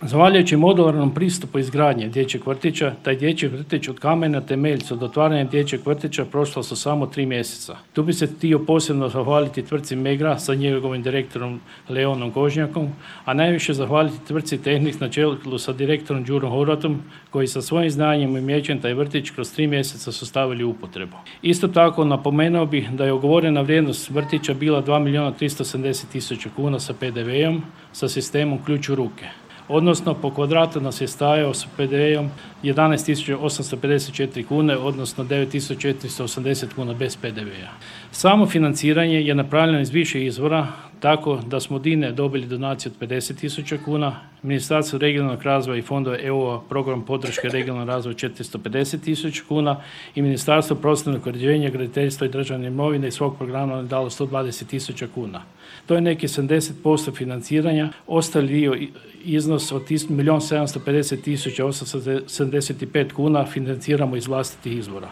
Zahvaljujući modularnom pristupu izgradnje dječjeg vrtića, taj dječji vrtić od kamena temeljca od otvaranja dječjeg vrtića prošla su samo 3 mjeseca. Tu bi se htio posebno zahvaliti tvrtci Megra sa njegovim direktorom Leonom Kožnjakom, a najviše zahvaliti tvrtci Tehnik na čelu sa direktorom Đurom Horvatom, koji sa svojim znanjem i umijećem taj vrtić kroz 3 mjeseca su stavili u upotrebu. Isto tako napomenuo bih da je ugovorena vrijednost vrtića bila 2.370.000 kuna sa PDV-om sa sistemom ključ u ruke. Odnosno po kvadratu nas je stajao s PDV-om 11.854 kune, odnosno 9.480 kuna bez PDV-a. Samo financiranje je napravljeno iz više izvora, tako da smo od INA-e dobili donaciju od 50.000 kuna, Ministarstvo regionalnog razvoja i fondova EU program podrške regionalnog razvoja 450.000 kuna i Ministarstvo prostornog uređenja, graditeljstva i državne imovine iz svog programa je dalo 120.000 kuna. To je neki 70% financiranja, ostali dio iznos od 1.750.875 kuna financiramo iz vlastitih izvora.